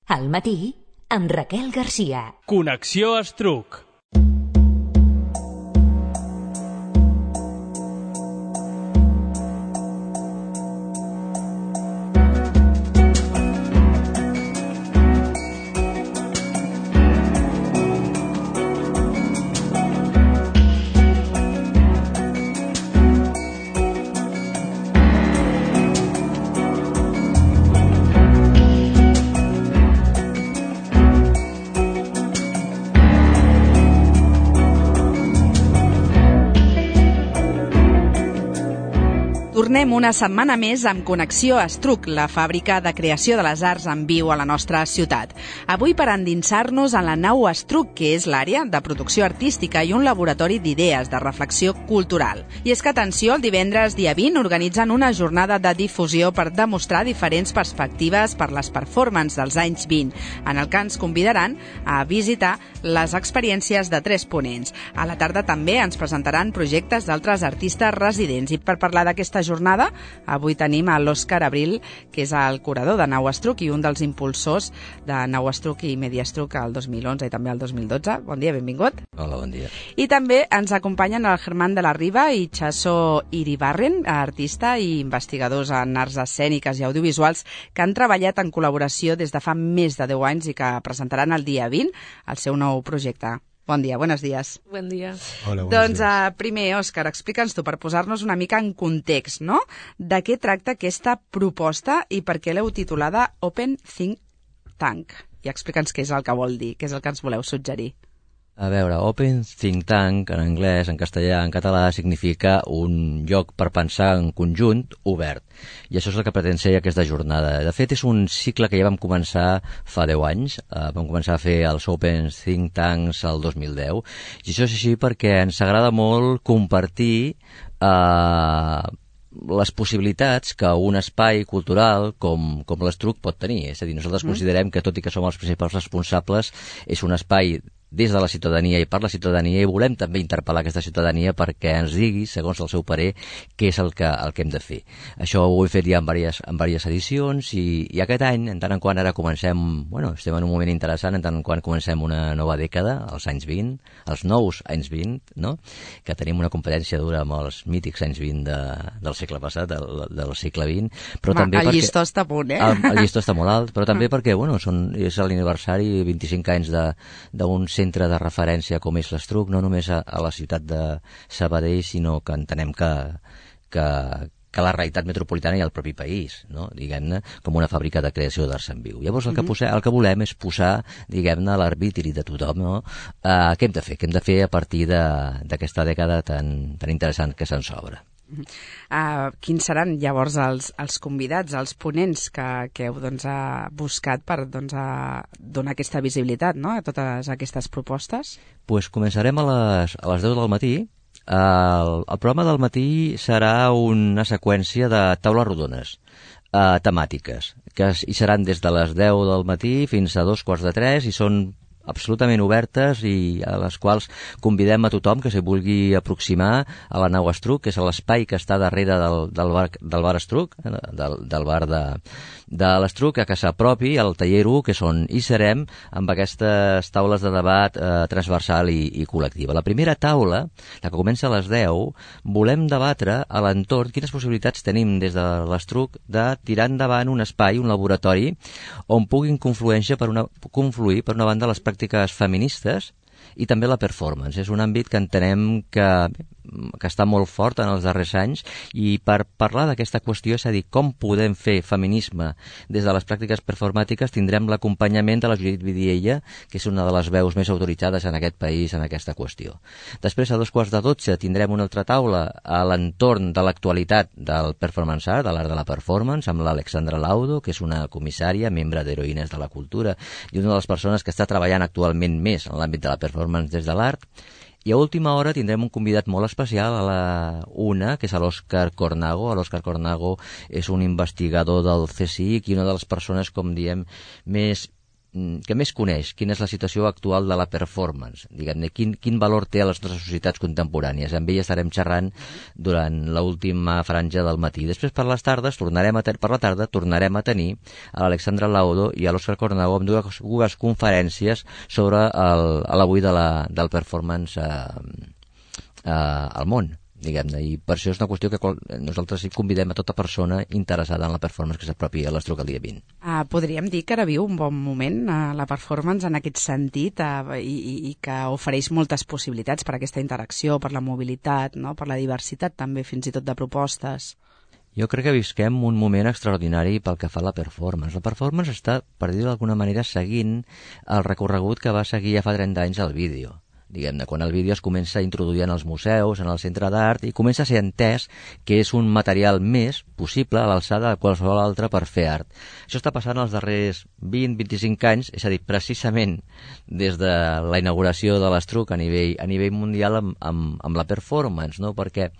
Al matí, amb Raquel Garcia. Connexió Estruc. Tornem una setmana més amb Connexió Estruc, la fàbrica de creació de les arts en viu a la nostra ciutat. Avui per endinsar-nos en la nau Estruc, que és l'àrea de producció artística i un laboratori d'idees de reflexió cultural. I és que, atenció, el divendres dia 20 organitzen una jornada de difusió per demostrar diferents perspectives per les performances dels anys 20, en el que ens convidaran a visitar les experiències de 3 ponents. A la tarda també ens presentaran projectes d'altres artistes residents. I per parlar d'aquesta jornada, avui tenim a l'Òscar Abril, que és el curador de Nau Estruc i un dels impulsors de Nau Estruc i Media Estruc al 2011 i també al 2012. Bon dia, benvingut. Hola, bon dia. I també ens acompanyen el Germán de la Riva i Chaso Iribarren, artista i investigadors en arts escèniques i audiovisuals que han treballat en col·laboració des de fa més de 10 anys i que presentaran el dia 20 el seu nou projecte. Bon dia, buenos días. Bon dia. Hola, Doncs primer, Òscar, explica'ns tu, per posar-nos una mica en context, no? De què tracta aquesta proposta i per què l'heu titulada Open Think Tank? I explica'ns què és el que vol dir, què és el que ens voleu suggerir. A veure, Open Think Tank, en anglès, en castellà, en català, significa un lloc per pensar en conjunt obert. I això és el que pretén ser aquesta jornada. De fet, és un cicle que ja vam començar fa 10 anys. Vam començar a fer els Open Think Tanks el 2010. I això és així perquè ens agrada molt compartir les possibilitats que un espai cultural com l'Estruc pot tenir. És a dir, nosaltres considerem que, tot i que som els principals responsables, és un espai des de la ciutadania i per la ciutadania, i volem també interpel·lar aquesta ciutadania perquè ens digui, segons el seu parer, què és el que hem de fer. Això ho he fet ja en diverses edicions i aquest any, en tant en quant ara comencem, estem en un moment interessant, en tant en quant comencem una nova dècada, els anys 20, els nous anys 20, no? Que tenim una competència dura amb els mítics anys 20 del segle passat, del segle XX, però també el perquè... llistó està a punt, eh? El llistó està molt alt, però també perquè, és l'aniversari 25 anys d'un centre de referència com és l'Estruc, no només a la ciutat de Sabadell, sinó que entenem que la realitat metropolitana i el propi país, no? Diguem-ne, com una fàbrica de creació d'arts en viu. Llavors el que volem és posar, diguem-ne, a l'arbitri de tothom, no? Què hem de fer? Què hem de fer a partir d'aquesta dècada tan interessant que se'ns obre? Quins seran llavors els convidats, els ponents que heu buscat per donar aquesta visibilitat, no? A totes aquestes propostes? Pues començarem a les 10 del matí. El programa del matí serà una seqüència de taules rodones temàtiques, que hi seran des de les 10 del matí fins a 2:45 i són absolutament obertes i a les quals convidem a tothom que s'hi vulgui aproximar a la Nau Estruc, que és l'espai que està darrere del bar Estruc, del bar de l'Estruc, que s'apropi al taller 1, que és on hi serem, amb aquestes taules de debat transversal i col·lectiva. La primera taula, la que comença a les 10, volem debatre a l'entorn quines possibilitats tenim des de l'Estruc de tirar endavant un espai, un laboratori, on puguin confluir per una banda les pràctiques feministes i també la performance. És un àmbit que entenem que està molt fort en els darrers anys, i per parlar d'aquesta qüestió, és a dir, com podem fer feminisme des de les pràctiques performàtiques, tindrem l'acompanyament de la Judit Vidiella, que és una de les veus més autoritzades en aquest país en aquesta qüestió. Després, a 11:15, tindrem una altra taula a l'entorn de l'actualitat del performance art, de l'art de la performance, amb l'Alexandra Laudo, que és una comissària, membre d'Heroïnes de la Cultura, i una de les persones que està treballant actualment més en l'àmbit de la performance des de l'art. I a última hora tindrem un convidat molt especial a la 1, que és l'Òscar Cornago. L'Òscar Cornago és un investigador del CSIC i una de les persones, com diem, més més coneix quina és la situació actual de la performance, diguem-ne, quin valor té a les nostres societats contemporànies. Amb ell estarem xerrant durant l'última franja del matí. Després, per les tardes, tornarem a tenir a l'Alexandra Laudo i a l'Òscar Cornau amb dues conferències sobre l'avui del performance al món, diguem-ne, i per això és una qüestió que nosaltres convidem a tota persona interessada en la performance que s'apropi a l'Estruc el dia 20. Podríem dir que ara viu un bon moment la performance en aquest sentit i que ofereix moltes possibilitats per aquesta interacció, per la mobilitat, no? Per la diversitat també, fins i tot de propostes. Jo crec que visquem un moment extraordinari pel que fa a la performance. La performance està, per dir-ho d'alguna manera, seguint el recorregut que va seguir ja fa 30 anys el vídeo. Diguem-ne, quan el vídeo es comença a introduir en els museus, en el centre d'art, i comença a ser entès que és un material més possible a l'alçada de qualsevol altre per fer art. Això està passant els darrers 20-25 anys, és a dir, precisament des de la inauguració de l'Estruc a nivell mundial amb la performance, no? Perquè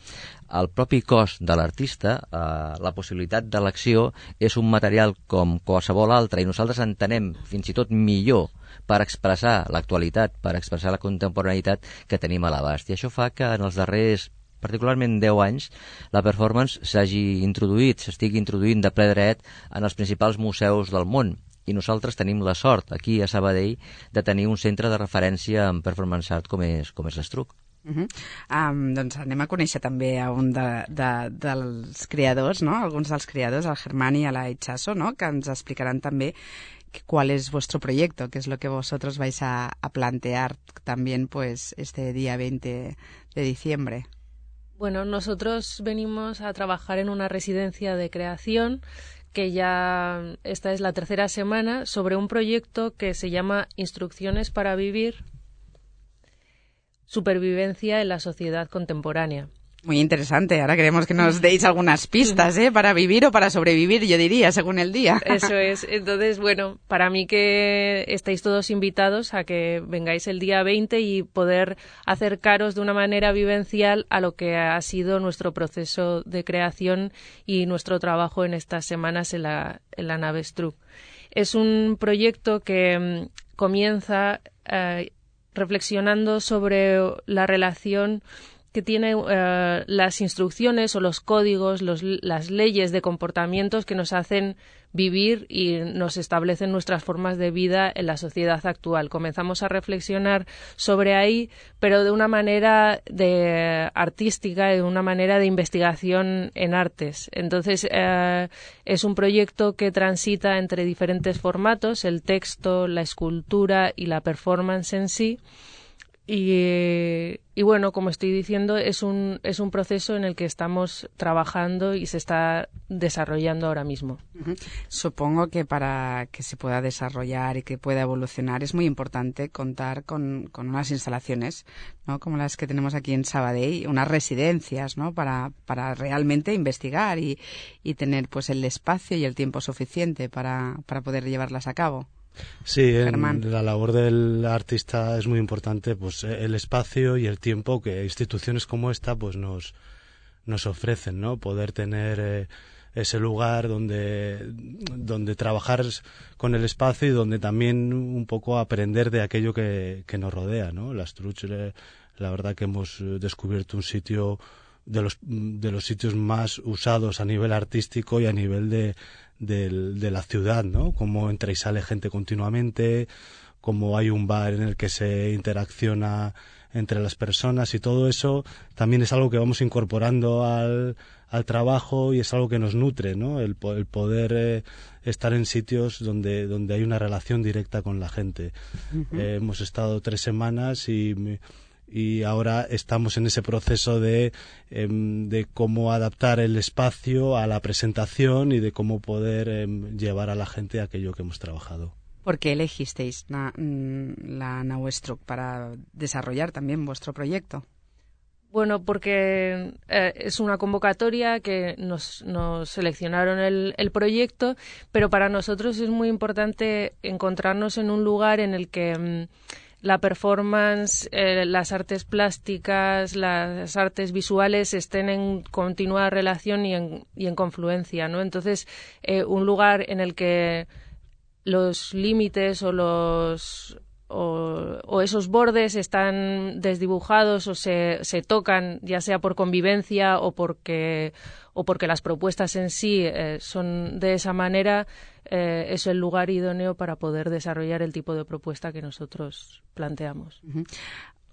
el propi cos de l'artista, la possibilitat d'elecció, és un material com qualsevol altre, i nosaltres entenem fins i tot millor per expressar l'actualitat, per expressar la contemporaneïtat que tenim a l'abast. I això fa que en els darrers, particularment 10 anys, la performance s'estigui introduint de ple dret en els principals museus del món. I nosaltres tenim la sort, aquí a Sabadell, de tenir un centre de referència en performance art com és l'Estruc. Doncs anem a conèixer també a un dels creadors, no? Alguns dels creadors, el Germán y la Itxaso, ¿no? Que ens explicaran també cuál es vuestro proyecto, qué es lo que vosotros vais a plantear también pues este día 20 de diciembre. Bueno, nosotros venimos a trabajar en una residencia de creación que ya esta es la tercera semana sobre un proyecto que se llama Instrucciones para vivir, supervivencia en la sociedad contemporánea. Muy interesante. Ahora queremos que nos deis algunas pistas, para vivir o para sobrevivir, yo diría, según el día. Eso es. Entonces, bueno, para mí que estáis todos invitados a que vengáis el día 20 y poder acercaros de una manera vivencial a lo que ha sido nuestro proceso de creación y nuestro trabajo en estas semanas en la nave Estruc. Es un proyecto que comienza reflexionando sobre la relación que tiene las instrucciones o los códigos, las leyes de comportamientos que nos hacen vivir y nos establecen nuestras formas de vida en la sociedad actual. Comenzamos a reflexionar sobre ahí, pero de una manera artística, de una manera de investigación en artes. Entonces, es un proyecto que transita entre diferentes formatos, el texto, la escultura y la performance en sí. Y bueno, como estoy diciendo, es un proceso en el que estamos trabajando y se está desarrollando ahora mismo. Supongo que para que se pueda desarrollar y que pueda evolucionar es muy importante contar con unas instalaciones, ¿no? Como las que tenemos aquí en Sabadell, unas residencias, ¿no? Para realmente investigar y tener pues el espacio y el tiempo suficiente para poder llevarlas a cabo. Sí, en la labor del artista es muy importante pues el espacio y el tiempo que instituciones como esta pues nos ofrecen, ¿no? Poder tener ese lugar donde trabajar con el espacio y donde también un poco aprender de aquello que nos rodea, ¿no? La Estruc, la verdad que hemos descubierto un sitio de los sitios más usados a nivel artístico y a nivel de la ciudad, ¿no? Como entra y sale gente continuamente, como hay un bar en el que se interacciona entre las personas, y todo eso también es algo que vamos incorporando al trabajo y es algo que nos nutre, ¿no? El poder estar en sitios donde hay una relación directa con la gente. Hemos estado 3 semanas y ahora estamos en ese proceso de cómo adaptar el espacio a la presentación y de cómo poder llevar a la gente aquello que hemos trabajado. ¿Por qué elegisteis la nau Estruc para desarrollar también vuestro proyecto? Bueno, porque es una convocatoria que nos seleccionaron el proyecto, pero para nosotros es muy importante encontrarnos en un lugar en el que la performance, las artes plásticas, las artes visuales estén en continua relación y en confluencia, ¿no? Entonces, un lugar en el que los límites o esos bordes están desdibujados o se tocan, ya sea por convivencia o porque las propuestas en sí son de esa manera, es el lugar idóneo para poder desarrollar el tipo de propuesta que nosotros planteamos.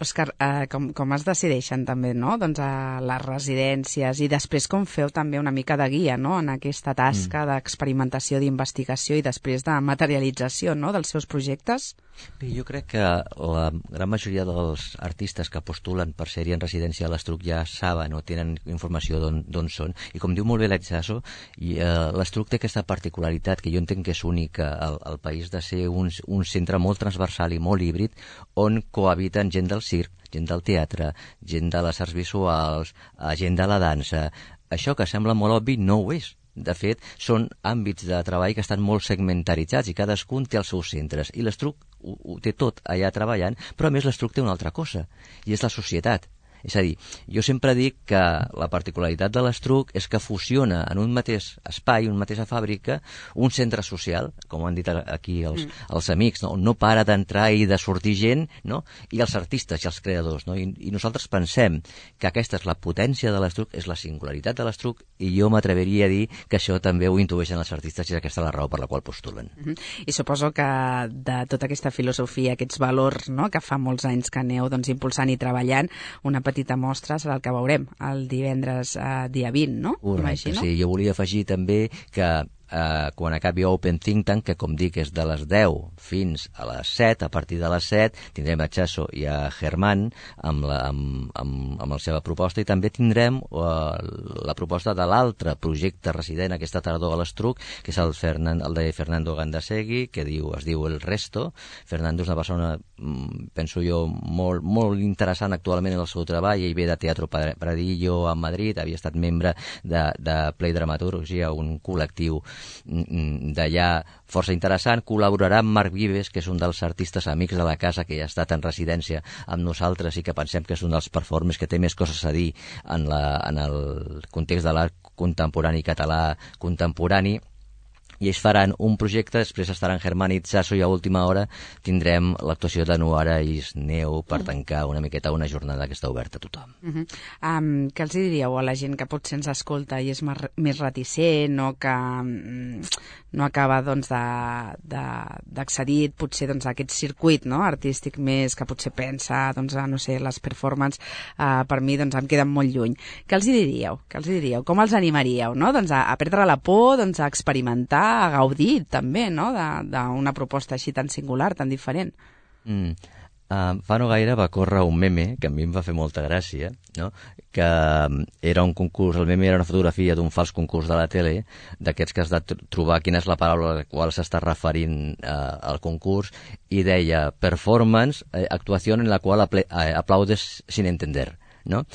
Òscar, com es decideixen també, no? Doncs a les residències i després com feu també una mica de guia, no? En aquesta tasca d'experimentació, d'investigació i després de materialització, no? Dels seus projectes? Bé, jo crec que la gran majoria dels artistes que postulen per ser-hi en residència a l'Estruc ja saben o tenen informació d'on són, i com diu molt bé l'Itxaso, l'Estruc té aquesta particularitat que jo entenc que és única al país, de ser un centre molt transversal i molt híbrid, on cohabiten gent del circ, gent del teatre, gent de les arts visuals, gent de la dansa. Això que sembla molt obvi no ho és. De fet, són àmbits de treball que estan molt segmentaritzats i cadascun té els seus centres. I l'Estruc ho té tot allà treballant, però a més l'Estruc té una altra cosa, i és la societat. És a dir, jo sempre dic que la particularitat de l'Estruc és que fusiona en un mateix espai, una mateixa fàbrica, un centre social, com han dit aquí els amics, no? On no para d'entrar i de sortir gent, no? I els artistes i els creadors, no? I nosaltres pensem que aquesta és la potència de l'Estruc, és la singularitat de l'Estruc, i jo m'atreveria a dir que això també ho intueixen els artistes i aquesta és la raó per la qual postulen. I suposo que de tota aquesta filosofia, aquests valors, no? Que fa molts anys que aneu impulsant i treballant, una petita mostra serà el que veurem el divendres dia 20, no? Correcte, sí. Jo volia afegir també que quan acabi Open Think Tank, que com dic és de les 10 fins a les 7, a partir de les 7 tindrem a Chaso i a Germán amb la seva proposta, i també tindrem la proposta de l'altre projecte resident aquesta tardor a l'Estruc, que és el de Fernando Gandasegui, que es diu El Resto. Fernando és una persona, penso jo, molt interessant actualment en el seu treball. Ell ve de Teatro Pradillo a Madrid, havia estat membre de Play Dramaturgia, un col·lectiu d'allà força interessant. Col·laborarà amb Marc Vives, que és un dels artistes amics de la casa, que ja ha estat en residència amb nosaltres i que pensem que és un dels performers que té més coses a dir en el context de l'art contemporani català contemporani. I ells faran un projecte, després estaran Germán i Itxaso, i a última hora tindrem l'actuació de Nuara i Neu per tancar una miqueta una jornada que està oberta a tothom. Què els diríeu a la gent que potser ens escolta i és més reticent o que no acaba d'accedir potser a aquest circuit artístic més, que potser pensa no sé, les performances per mi em queden molt lluny? Què els diríeu? Com els animaríeu a perdre la por, a experimentar, a gaudir també d'una proposta així tan singular, tan diferent? Fa no gaire va córrer un meme que a mi em va fer molta gràcia, no? Que era un concurs, el meme era una fotografia d'un fals concurs de la tele, d'aquests que has de trobar quina és la paraula a la qual s'està referint al concurs, i deia performance, actuació en la qual aplaudes sin entender, no?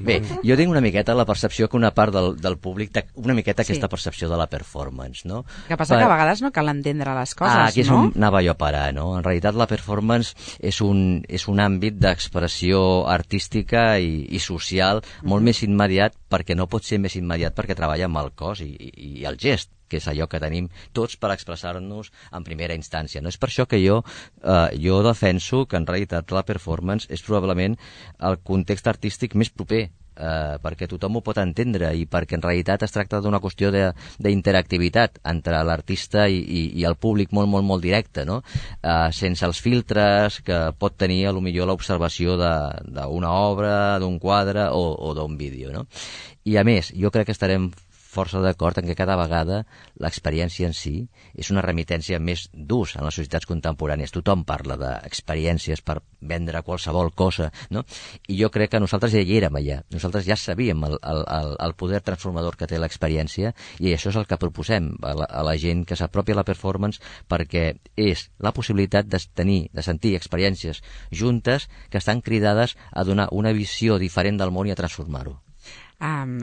Bé, jo tinc una miqueta la percepció que una part del públic té una miqueta aquesta percepció de la performance, no? Que passa que a vegades no cal entendre les coses, no? Aquí és on anava jo a parar, no? En realitat la performance és un àmbit d'expressió artística i social molt més immediat, perquè no pot ser més immediat perquè treballa amb el cos i el gest, que és allò que tenim tots per expressar-nos en primera instància, no? És per això que jo defenso que en realitat la performance és probablement el context artístic més proper, perquè tothom ho pot entendre i perquè en realitat es tracta d'una qüestió d'interactivitat entre l'artista i el públic molt directe, no? Sense els filtres que pot tenir potser l'observació d'una obra, d'un quadre o d'un vídeo, no? I a més, jo crec que estarem força d'acord en que cada vegada l'experiència en si és una remitència més d'ús en les societats contemporànies. Tothom parla d'experiències per vendre qualsevol cosa, no? I jo crec que nosaltres ja hi érem allà. Nosaltres ja sabíem el poder transformador que té l'experiència, i això és el que proposem a la gent que s'apropi a la performance, perquè és la possibilitat de sentir experiències juntes que estan cridades a donar una visió diferent del món i a transformar-ho.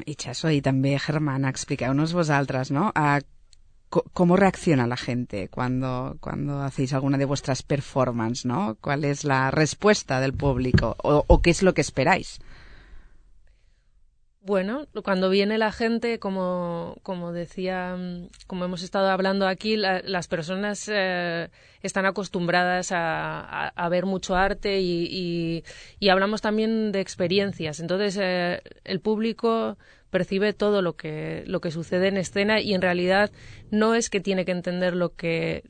Itxaso y también Germán, expliqueu-nos vosaltres, ¿no? ¿Cómo reacciona la gente cuando hacéis alguna de vuestras performances, ¿no? ¿Cuál es la respuesta del público? ¿O qué es lo que esperáis? Bueno, cuando viene la gente, como decía, como hemos estado hablando aquí, las personas están acostumbradas a ver mucho arte y hablamos también de experiencias. Entonces, el público percibe todo lo que sucede en escena y en realidad no es que tiene que entender lo que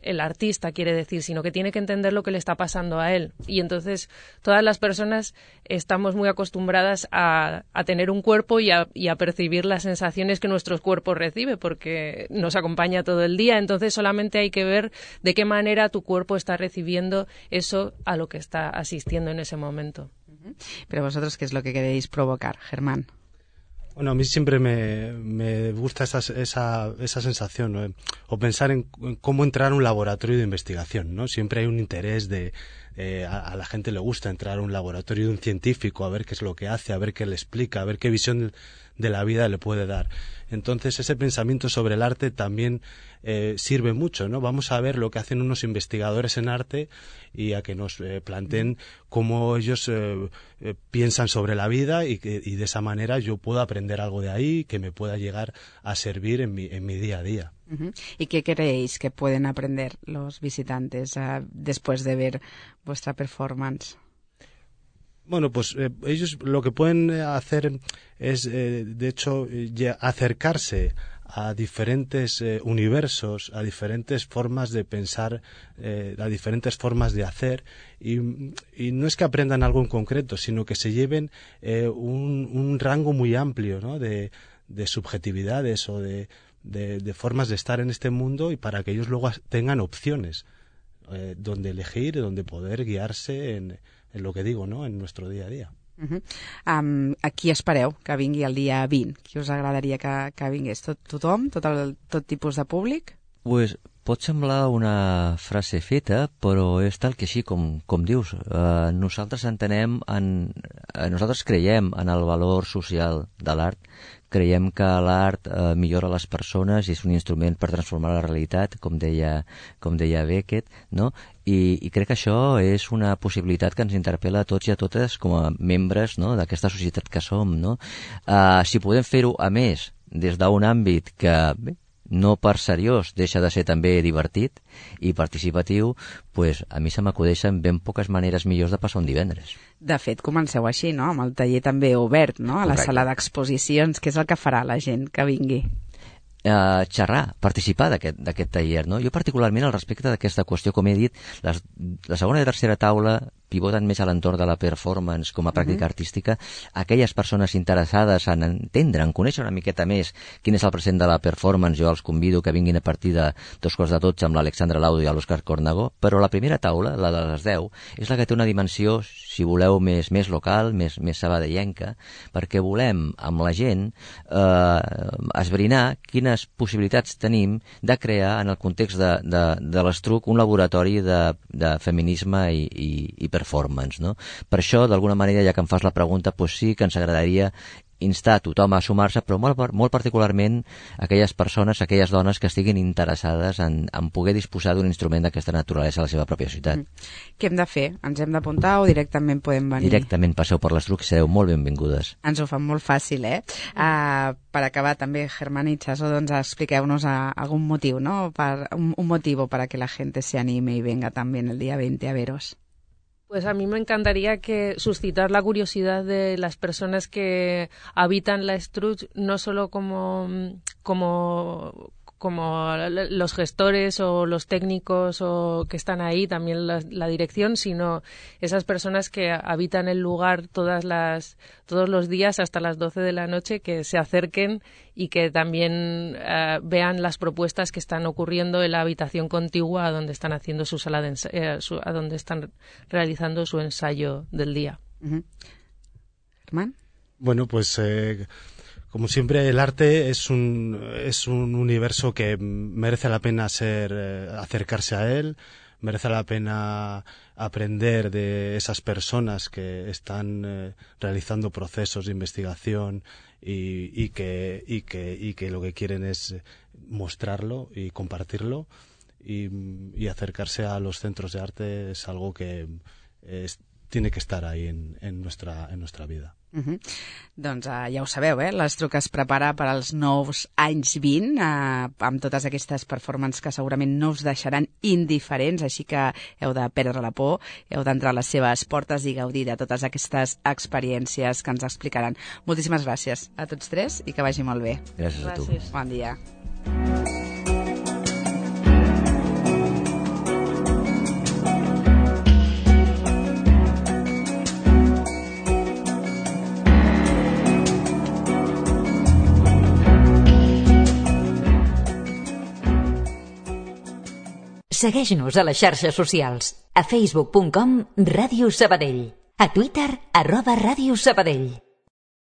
el artista quiere decir, sino que tiene que entender lo que le está pasando a él. Y entonces todas las personas estamos muy acostumbradas a tener un cuerpo y a percibir las sensaciones que nuestros cuerpos reciben, porque nos acompaña todo el día. Entonces solamente hay que ver de qué manera tu cuerpo está recibiendo eso a lo que está asistiendo en ese momento. Pero vosotros, ¿qué es lo que queréis provocar, Germán? Bueno, a mí siempre me gusta esa sensación, ¿no? O pensar en cómo entrar a un laboratorio de investigación, ¿no? Siempre hay un interés a la gente le gusta entrar a un laboratorio de un científico, a ver qué es lo que hace, a ver qué le explica, a ver qué visión de la vida le puede dar. Entonces, ese pensamiento sobre el arte también sirve mucho, ¿no? Vamos a ver lo que hacen unos investigadores en arte y a que nos planteen cómo ellos piensan sobre la vida y de esa manera yo puedo aprender algo de ahí que me pueda llegar a servir en mi día a día. ¿Y qué creéis que pueden aprender los visitantes después de ver vuestra performance? Bueno, pues ellos lo que pueden hacer es, de hecho, acercarse a diferentes universos, a diferentes formas de pensar, a diferentes formas de hacer, y no es que aprendan algo en concreto, sino que se lleven un rango muy amplio, ¿no? de subjetividades o de formas de estar en este mundo, y para que ellos luego tengan opciones donde elegir, donde poder guiarse en lo que digo, ¿no? En nuestro día a día. A qui espereu que vingui el dia 20? Qui us agradaria que vingués? Tothom? Tot tipus de públic? Pues pot semblar una frase feta, però és tal que així com dius. Nosaltres creiem en el valor social de l'art, creiem que l'art millora les persones i és un instrument per transformar la realitat, com deia Beckett, no? I crec que això és una possibilitat que ens interpel·la a tots i a totes com a membres, no?, d'aquesta societat que som, no? Si podem fer-ho, a més, des d'un àmbit que, bé, no per seriós deixa de ser també divertit i participatiu, pues a mi se m'acudeixen ben poques maneres millors de passar un divendres. De fet, comenceu així, no?, amb el taller també obert, no?, a la sala d'exposicions. Què és el que farà la gent que vingui? Xerrar, participar d'aquest taller, no? Jo particularment al respecte d'aquesta qüestió, com he dit, la segona i tercera taula pivoten més a l'entorn de la performance com a pràctica artística. Aquelles persones interessades en entendre, en conèixer una miqueta més quin és el present de la performance, jo els convido que vinguin a partir de 2:12 amb l'Alexandra Laudo i l'Òscar Cornagó, però la primera taula, la de les 10, és la que té una dimensió, si voleu, més local, més sabadellenca, perquè volem amb la gent esbrinar quines possibilitats tenim de crear en el context de l'Estruc un laboratori de feminisme i performance, no? Per això, d'alguna manera, ja que em fas la pregunta, doncs sí que ens agradaria instar a tothom a sumar-se, però molt particularment aquelles persones, aquelles dones que estiguin interessades en poder disposar d'un instrument d'aquesta naturalesa a la seva pròpia ciutat. Què hem de fer? Ens hem d'apuntar o directament podem venir? Directament passeu per l'Estruc, sereu molt benvingudes. Ens ho fan molt fàcil, eh? Per acabar, també, Germán i Chaso, doncs expliqueu-nos algun motiu, ¿no? Un motivo para que la gente se anime y venga también el día 20 a veros. Pues a mí me encantaría suscitar la curiosidad de las personas que habitan la Estruc, no solo como los gestores o los técnicos o que están ahí, también la dirección, sino esas personas que habitan el lugar todos los días hasta las 12 de la noche, que se acerquen y que también vean las propuestas que están ocurriendo en la habitación contigua a donde están haciendo su sala de a donde están realizando su ensayo del día. Germán. Bueno, pues como siempre, el arte es un universo que merece la pena acercarse a él, merece la pena aprender de esas personas que están realizando procesos de investigación y que lo que quieren es mostrarlo y compartirlo, y acercarse a los centros de arte es algo que tiene que estar ahí en nuestra vida. Doncs ja ho sabeu, l'Estruc es prepara per als nous anys 20 amb totes aquestes performances que segurament no us deixaran indiferents, així que heu de perdre la por, heu d'entrar a les seves portes i gaudir de totes aquestes experiències que ens explicaran. Moltíssimes gràcies a tots tres i que vagi molt bé. Gràcies a tu. Bon dia. Segueix-nos a les xarxes socials. A facebook.com/Ràdio Sabadell. A Twitter @Ràdio Sabadell.